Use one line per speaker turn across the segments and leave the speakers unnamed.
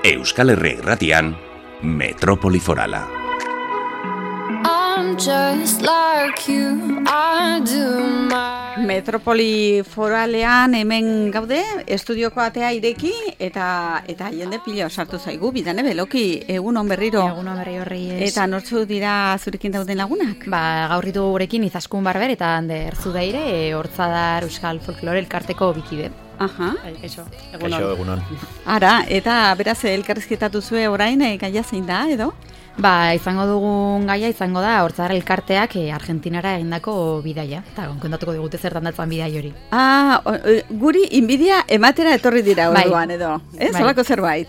Euskal Herria Irratian, Metropoli Forala.
Metropoli Foralean hemen gaude, estudioko atea ireki eta jende pilo sartu zaigu, bidane beloki, egun on berriro.
Egun on berri horri ez.
Eta nortzu dira zurekin dauden lagunak?
Gaurritu gurekin Izaskun Barber eta Ander Zubeire, Hortzadar Euskal Folklore elkarteko bikide.
Aha.
Eso,
egunon.
Ara, eta beraz elkarrizketatu zue orain, gaia zein da, edo?
Izango dugun gaia izango da Hortzadar elkarteak Argentinara egindako bidaia. Eta kontatuko digute zertan datzan bidai hori.
Guri inbidia ematera etorri dira orduan, edo? Ez, holako zerbait?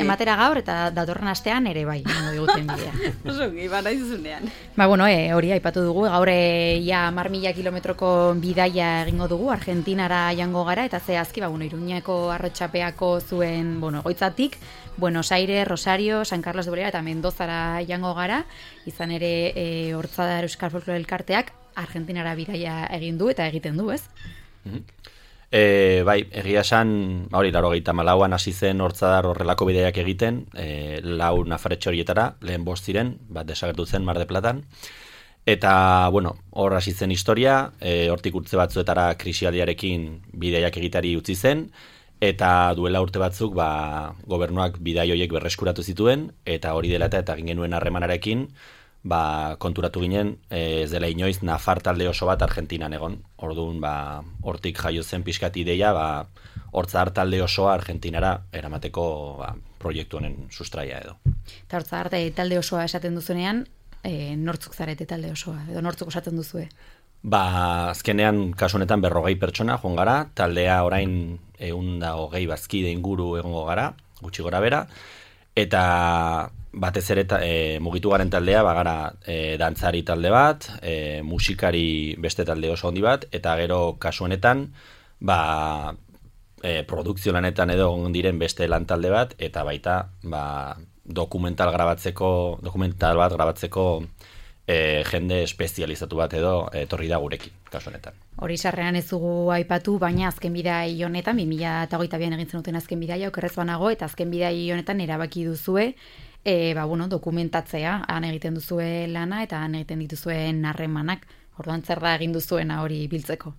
Ematera gaur eta datorren astean ere bai, digute inbidia.
Oso, ibara izunean.
Hori aipatu dugu, gaur ja 10.000 kilometroko bidaia egingo dugu, Argentinara jango gara, eta zehazki, Iruñeko arrotxapeako zuen, goitzatik, Buenos Aires, Rosario, San Carlos de Bolera eta Mendozara jango gara, izan ere Hortzadar Euskal Folklore elkarteak Argentinara bidaia egin du eta egiten du, ez?
Egia esan, 1984an hasi zen Hortzadar horrelako bidaiak egiten, 4 nafarretxe horietara, lehen 5 ziren, bat desagertu zen Mar de Platan, eta, hor hasi zen historia, hortik urte batzuetara krisialdiarekin bidaiak egitari utzi zen, eta duela urte batzuk gobernuak bidai horiek berreskuratu zituen, eta hori dela eta egin genuen harremanarekin konturatu ginen ez dela inoiz nafar talde oso bat Argentinan egon. Orduan hortik jaio zen pixkat ideia Hortzadar talde osoa Argentinara eramateko proiektu honen sustraia edo.
Eta Hortzadar talde osoa esaten duzunean, nortzuk zarete talde osoa, edo nortzuk osatzen duzue?
Azkenean, kasu honetan 40 pertsona joan gara, taldea orain 120 bazkide inguru egongo gara, gutxi gora bera, eta batez ere mugitu garen taldea, gara dantzari talde bat, musikari beste talde oso handi bat, eta gero kasu honetan, produkzio lanetan edo egon diren beste lan talde bat, eta baita dokumental bat grabatzeko jende espezializatu bat edo etorri da gurekin, kasu honetan.
Hori sarrean ez dugu aipatu, baina azken bidai honetan, 2022an egin zenuten azken bidaia, okerrez banago, eta azken bidai honetan erabaki duzue, dokumentatzea, han egiten duzue lana, eta han egiten dituzuen harremanak, orduan zer da egin duzuena hori biltzeko?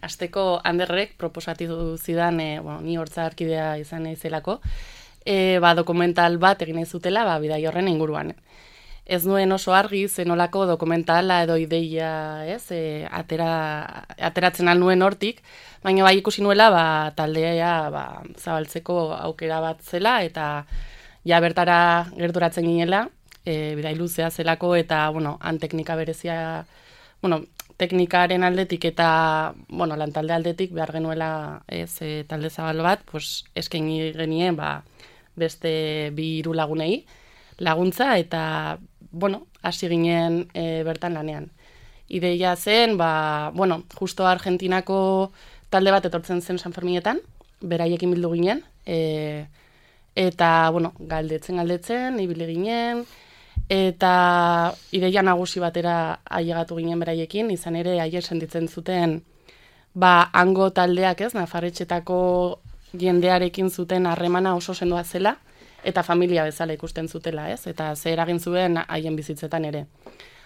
Azteko Anderrek proposatu zidan, ni Hortzadarkidea izan naizelako, dokumental bat egin zutela bidai horren inguruan. Ez nuen oso argi zenolako dokumentala edo ideia, ateratzen nuen hortik, baina ikusi nuela taldea zabaltzeko aukera bat zela eta bertara gerturatzen ginela, bidai luzea zelako eta han teknika berezia, teknikaren aldetik eta lan talde aldetik behar genuela talde zabal bat, eskaini genien beste 2 lagunei laguntza eta hasi ginen bertan lanean. Ideia zen, justo Argentinako talde bat etortzen zen San Ferminetan, beraiekin bildu ginen, eta galdetzen, ibili ginen, eta ideia nagusi batera ailegatu ginen beraiekin, izan ere aier sentitzen zuten hango taldeak nafarretxetako jendearekin zuten harremana oso sendoa zela, eta familia bezala ikusten zutela, eta ze eragin zuen haien bizitzetan ere.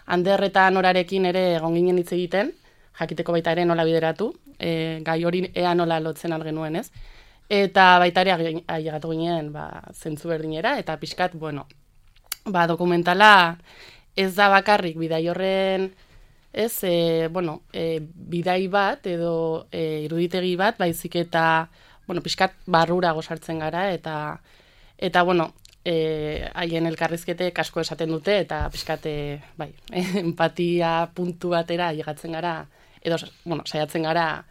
Ander eta Norarekin ere egon ginen hitz egiten, jakiteko baita ere nola bideratu, gai hori ea nola lotzen algenuen, eta baita ere ailegatu ginen zentzu berdinera, eta pixkat, dokumentala ez da bakarrik bidai horren, bidai bat edo iruditegi bat, baizik eta pixkat barrura gozartzen gara, eta haien elkarrizketek asko esaten dute, eta pixkat empatia puntu batera ailegatzen gara, edo saiatzen gara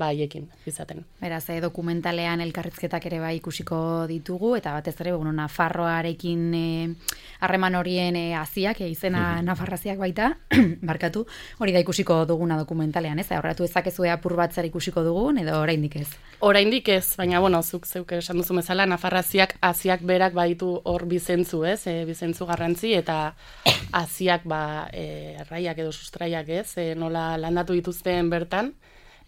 haiekin izaten.
Beraz, dokumentalean elkarrizketak ere ikusiko ditugu, eta batez ere, Nafarroarekin harreman horien haziak, izena Nafarraziak baita, barkatu, hori da ikusiko duguna dokumentalean, ez? Horretu ezakezu apur bat zer ikusiko dugun, edo oraindik ez?
Oraindik ez, baina, zuk zeuk esan duzu bezala, Nafarraziak haziak berak baditu hor bizentzu, ez? Bizentzu garrantzi, eta haziak erraiak edo sustraiak, ez? Nola landatu dituzten bertan,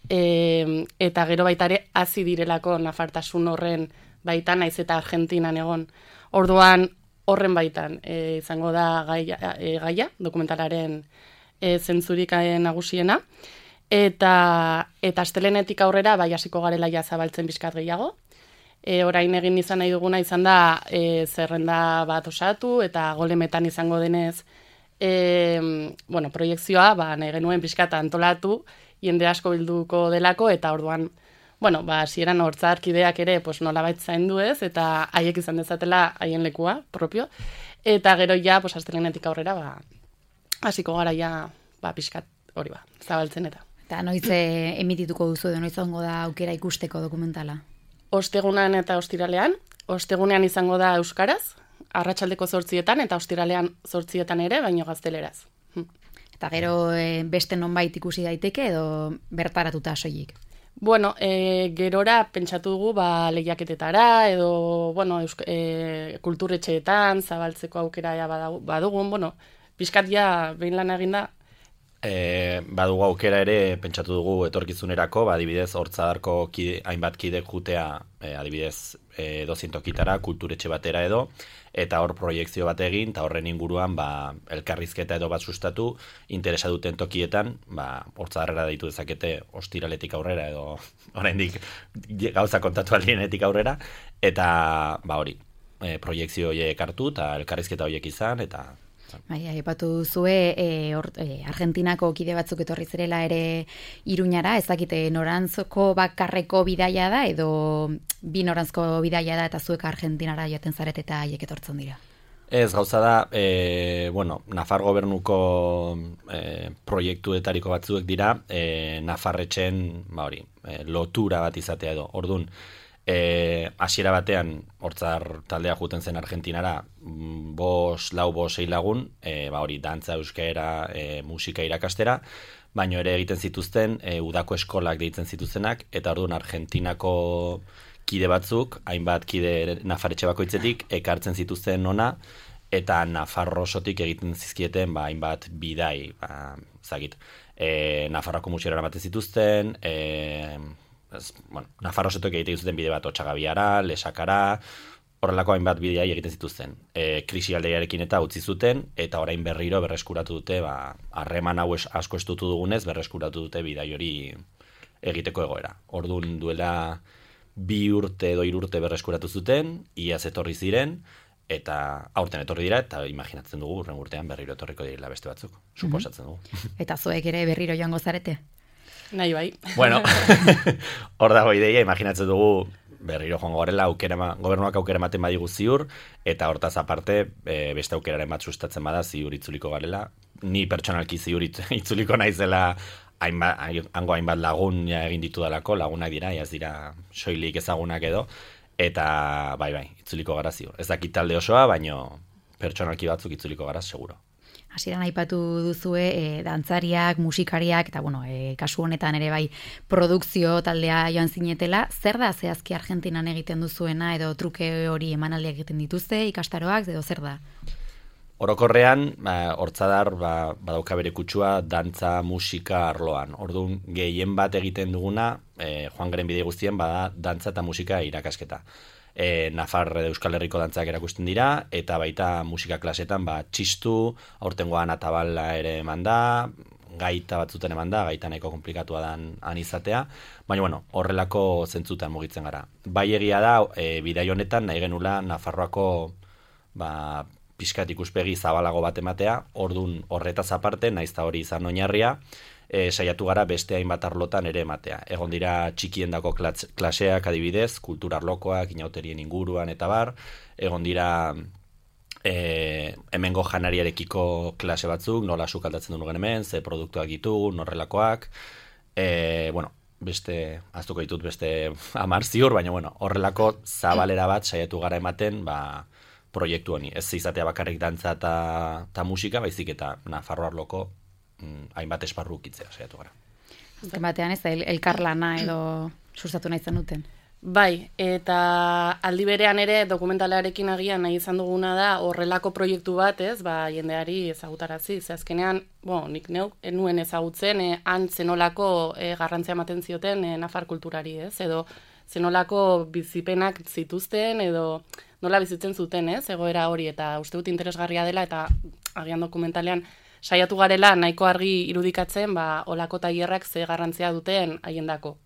eta gero baita ere hazi direlako nafartasun horren baitan, naiz eta Argentinan egon. Orduan horren baitan izango da gaia dokumentalaren zentzurik nagusiena. Eta astelehenetik aurrera bai hasiko garela ja zabaltzen pixkat gehiago. Orain egin izan nahi duguna izan da zerrenda bat osatu eta golemetan izango denez proiekzioa nahi genuen pixkat antolatu, jende asko bilduko delako eta orduan hasieran hortzarkideak ere nolabait zaindu ez eta haiek izan dezatela haien lekua propio eta gero ja astelehenetik aurrera hasiko gara ja pixkat hori zabaltzen eta.
Eta noiz emitituko duzu edo noiz ongo da aukera ikusteko dokumentala?
Ostegunean eta ostiralean. Ostegunean izango da euskaraz, arratsaldeko 8etan eta ostiralean 8etan ere, baino gazteleraz.
Eta gero beste nonbait ikusi daiteke edo bertaratuta soilik?
Gerora pentsatu dugu lehiaketetara edo kulturetxeetan zabaltzeko aukera badugun, pixkat ja behin lan eginda.
Badugu aukera ere pentsatu dugu etorkizunerako, adibidez hortzadarko hainbat kidek jutea adibidez 200 kitara, kulturetxe batera edo, eta hor proiekzio bat egin, eta horren inguruan elkarrizketa edo bat sustatu, interesa duten tokietan, hortzadarrera deitu dezakete ostiraletik aurrera edo oraindik gauza kontatu aldienetik aurrera, eta hori, proiekzio horiek hartu eta elkarrizketa horiek izan, eta
aipatu duzue Argentinako kide batzuk etorri zirela ere Iruñara, ez dakite norantzko bakarreko bidaia da edo bi norantzko bidaia da eta zuek Argentinara joaten zaret eta haiek etortzen dira?
Ez, gauza da, Nafar gobernuko proiektuetariko batzuek dira, Nafarretxen lotura bat izatea edo. Orduan, hasiera batean hortzar taldea juten zen Argentinara 5, 4, 6 lagun, dantza, euskera, musika irakastera, baino ere egiten zituzten udako eskolak deitzen zituztenak, eta orduan Argentinako kide batzuk, hainbat kide Nafarretxe bakoitzetik, ekartzen zituzten ona, eta Nafarrosotik egiten zizkieten hainbat bidai, Nafarroko musikara ematen zituzten, Nafarrosetok egiten zuten bide bat Otxagabiara, Lesakara, horrelako hainbat bideai egiten zituzten. Krisi aldeiarekin eta utzi zuten, eta orain berriro berreskuratu dute, harreman hau asko estutu dugunez, berreskuratu dute bidai hori egiteko egoera. Orduan duela 2 urte edo 3 urte berreskuratu zuten, iaz etorri ziren, eta aurten etorri dira, eta imaginatzen dugu, urren urtean berriro etorriko direla beste batzuk, suposatzen dugu.
Eta zuek ere berriro joango zarete?
Nahi bai.
Bueno, hor dago ideia, imaginatzen dugu berriro joango garela, gobernuak aukera ematen badigu ziur, eta hortaz aparte beste aukeraren bat sustatzen bada ziur itzuliko garela. Ni pertsonalki ziur itzuliko naizela hango hainbat lagun egin ditu dalako, lagunak dira, ez dira soilik ezagunak edo, eta bai, itzuliko gara ziur. Ez dakit talde osoa, baino pertsonalki batzuk itzuliko gara, seguro.
Hasieran aipatu duzue dantzariak, musikariak, eta kasu honetan ere bai produkzio taldea joan zinetela. Zer da zehazki Argentinan egiten duzuena edo truke hori emanaldiak egiten dituzte, ikastaroak, edo zer da?
Orokorrean, hortzadar badauka bere kutsua dantza, musika arloan. Orduan, gehien bat egiten duguna, joan garen bide guztien, bada dantza eta musika irakasketa. Nafar Euskal Herriko dantzak erakusten dira, eta baita musika klasetan txistu, aurtengoan atabala ere eman da, gaita batzuten eman da, gaita nahiko komplikatua dan izatea, baina horrelako zentzutan mugitzen gara. Bai egia da, bidai honetan nahi genula Nafarroako pixkat ikuspegi zabalago bat ematea, ordun horretaz aparte, nahiz hori izan oinarria, saiatu gara beste hainbat arlotan ere ematea. Egon dira txikiendako klaseak adibidez, kulturarlokoak, inauterien inguruan eta bar, egon dira hemengo janariarekiko klase batzuk, nola sukaldatzen dugu hemen, ze produktuak ditugu, norrelakoak, beste, aztuko ditut beste 10 ziur, baina horrelako zabalera bat saiatu gara ematen, proiektu honi. Ez izatea bakarrik dantza eta musika, baizik eta Nafarro arloko hainbat esparru ukitzea saiatu gara.
Batean ez elkarlana edo sustatu nahi zenuten?
Bai, eta aldi berean ere dokumentalarekin agian nahi izan duguna da horrelako proiektu bat, ez, jendeari ezagutarazi. Ze azkenean, nik neuk nuen ezagutzen, han zenolako garrantzia ematen zioten nafar kulturari, ez, edo zenolako bizipenak zituzten, edo nola bizitzen zuten, ez, egoera hori, eta uste dut interesgarria dela, eta agian dokumentalean saiatu garela nahiko argi irudikatzen, olako tailerrak ze garrantzia duten haiendako.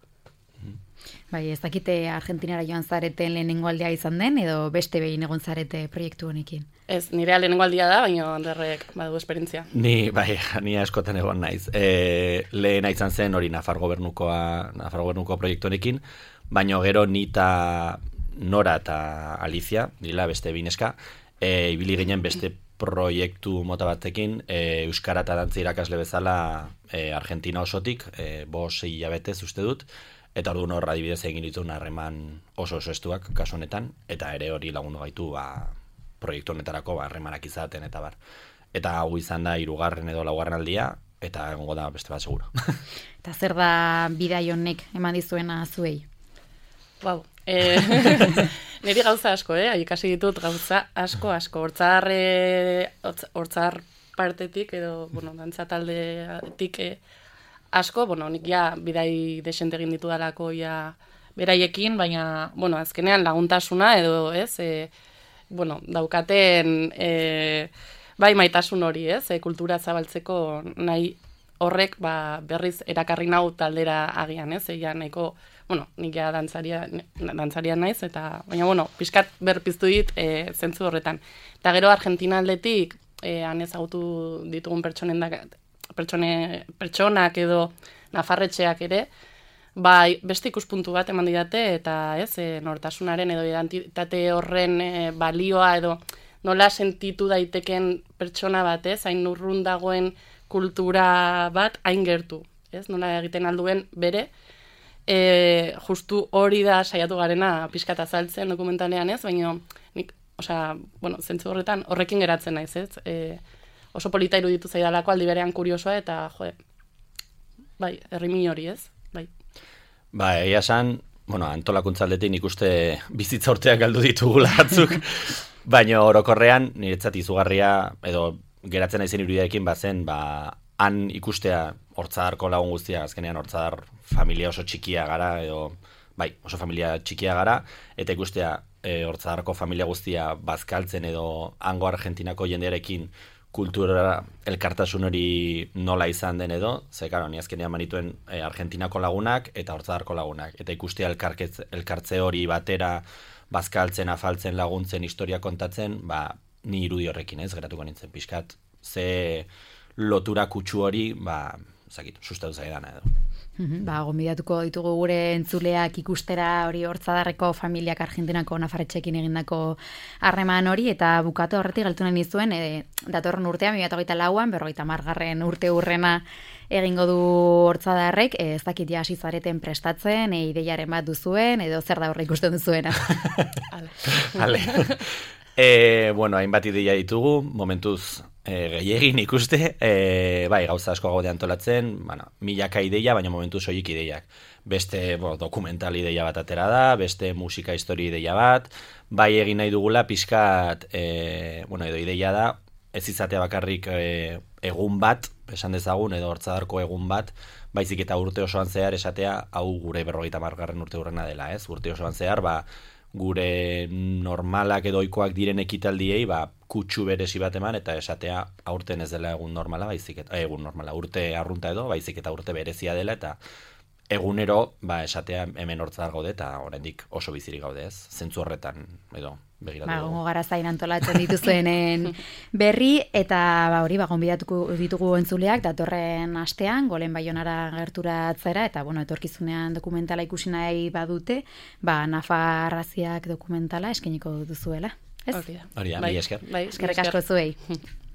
Bai, ez dakite Argentinara joan zareten lehenengo aldea izan den, edo beste behin egon zarete proiektu honekin?
Ez, nire lehenengo aldia da, baina Anderrek badu esperientzia.
Ni askotan egon naiz. Lehena izan zen hori Nafar gobernuko proiektu honekin, baina gero nita Nora eta Alicia, dila beste bineska, ibili ginen beste proiektu mota batekin, euskara eta dantza irakasle bezala Argentina osotik, 5-6 hilabetez uste dut, eta orduan hor adibidez egin dituen harreman oso estuak kasu honetan, eta ere hori lagundu gaitu proiektu honetarako harremanak izaten eta bar. Eta hau izan da 3. edo 4. aldia, eta egongo da beste bat seguro.
Eta zer da bidai honek eman dizuena zuei?
Wow. Niri gauza asko, ikasi ditut gauza asko. Hortzar partetik, edo, dantza taldetik asko, nik bidai desente egin ditu dalako beraiekin, baina, azkenean laguntasuna edo, daukaten bai maitasun hori, kultura zabaltzeko nahi horrek berriz erakarri nau taldera agian, nahiko, nik dantzaria naiz, eta, baina, pixkat berpiztu dit zentzu horretan. Eta gero Argentina aldetik, han ezagutu ditugun pertsonak edo nafarretxeak ere, beste ikuspuntu bat eman didate, eta nortasunaren edo identitate horren balioa edo nola sentitu daiteken pertsona bat, hain urrun dagoen kultura bat hain gertu, nola egiten alduen bere, justu hori da saiatu garena pixkat azaltzen dokumentalean, baina nik, zentzu horretan horrekin geratzen naiz, oso polita iruditu zaidalako aldi berean kuriosoa, eta bai, herrimin hori, bai.
Egia esan, antolakuntza aldetik nik uste bizitza urteak galdu ditugula batzuk, baina orokorrean niretzat izugarria, edo geratzen naizen irudiarekin bazen, han ikustea Hortzadarko lagun guztia, azkenean Hortzadar familia oso txikia gara, edo, oso familia txikia gara, eta ikustea Hortzadarko familia guztia bazkaltzen edo hango Argentinako jendearekin kultura elkartasun hori nola izan den edo, ze, karo, ni azkenean manituen Argentinako lagunak eta Hortzadarko lagunak, eta ikustea elkartze hori batera bazkaltzen, afaltzen, laguntzen, historia kontatzen, ni irudi horrekin geratuko nintzen pixkat, ze lotura kutsu hori, sustatu zaidana edo.
Gonbidatuko ditugu gure entzuleak ikustera hori Hortzadarreko familiak Argentinako nafarretxekin egindako harreman hori, eta bukatu horretik galtu nahi nizuen, datorren urtean, 2024an, 50. urte hurrena egingo du Hortzadarrek, ez dakit hasi zareten prestatzen, ideiaren bat duzuen, edo zer da horre ikusten duzuena.
Ale. Hainbat ideia ditugu, momentuz gehiegin ikuste, gauza asko gaude antolatzen, milaka ideia, baina momentu soilik ideiak. Beste dokumental ideia bat atera da, beste musika histori ideia bat, egin nahi dugula pixkat, edo ideia da, ez izatea bakarrik egun bat, esan dezagun, edo Hortzadarko egun bat, baizik eta urte osoan zehar esatea, hau gure 50. urte hurrena dela, urte osoan zehar, gure normalak edo ohikoak diren ekitaldiei kutsu berezi bat eman, eta esatea aurten ez dela egun normala, urte arrunta edo, baizik eta urte berezia dela, eta egunero esatea hemen Hortzadar gaude, eta oraindik oso bizirik gaude, zentzu horretan edo begiratu.
Gongo gara zain antolatzen dituzuenen berri, eta hori gonbidatuko ditugu entzuleak datorren astean, Golen Baionara gerturatzera, eta etorkizunean dokumentala ikusi nahi badute, Nafarraziak dokumentala eskainiko duzuela.
Hori da, mila esker.
Eskerrik asko zuei.